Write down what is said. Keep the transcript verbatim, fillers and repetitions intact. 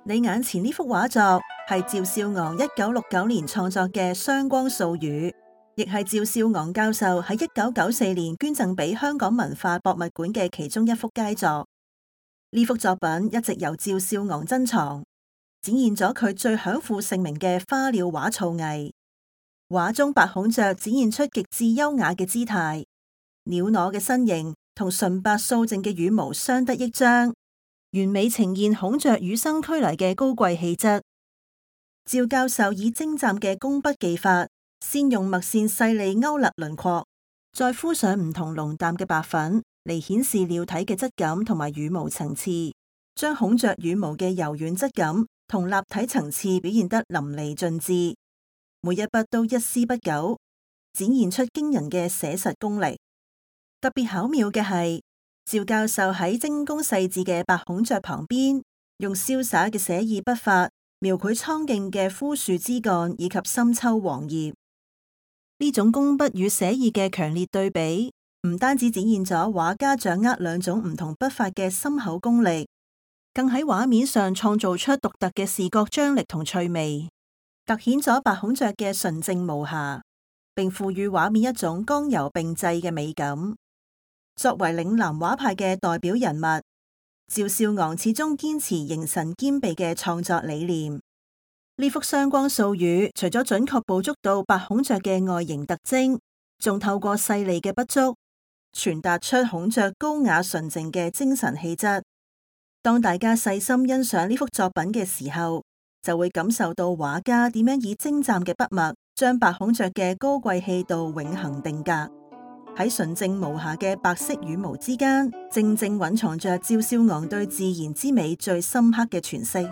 你眼前呢幅畫作係趙少昂一九六九年創作嘅《雙光素語》，亦係趙少昂教授喺一九九四年捐贈俾香港文化博物館嘅其中一幅佳作。呢幅作品一直由趙少昂珍藏，展現咗佢最享負盛名嘅花鳥畫造藝。畫中白孔雀展現出極致優雅嘅姿態，鳥螺嘅身形同純白素淨嘅羽毛相得益彰，完美呈現孔雀與生俱來嘅高貴氣質。趙教授以精湛嘅工筆技法，先用墨線細膩勾勒輪廓，再敷上唔同濃淡嘅白粉嚟顯示鳥體嘅質感同埋羽毛層次，將孔雀羽毛嘅柔軟質感同立體層次表現得淋漓盡致。每一筆都一絲不苟，展現出驚人嘅寫實功力。特別巧妙嘅係，趙教授喺精工細緻嘅白孔雀旁邊，用瀟灑嘅寫意筆法描繪蒼勁嘅枯樹枝幹以及深秋黃葉。呢種工筆與寫意嘅強烈對比，唔單止展現咗畫家掌握兩種唔同筆法嘅深厚功力，更喺畫面上創造出獨特嘅視覺張力同趣味，凸顯咗白孔雀嘅純正無瑕，並賦予畫面一種剛柔並濟嘅美感。作為嶺南畫派嘅代表人物，趙少昂始終堅持形神兼備嘅創作理念。呢幅雙光素語除咗準確捕捉到白孔雀嘅外形特徵，仲透過細膩嘅筆觸，傳達出孔雀高雅純淨嘅精神氣質。當大家細心欣賞呢幅作品嘅時候，就會感受到畫家點樣以精湛嘅筆墨，將白孔雀嘅高貴氣度永恆定格。喺純正無瑕嘅白色羽毛之間，正正蘊藏着趙少昂對自然之美最深刻嘅詮釋。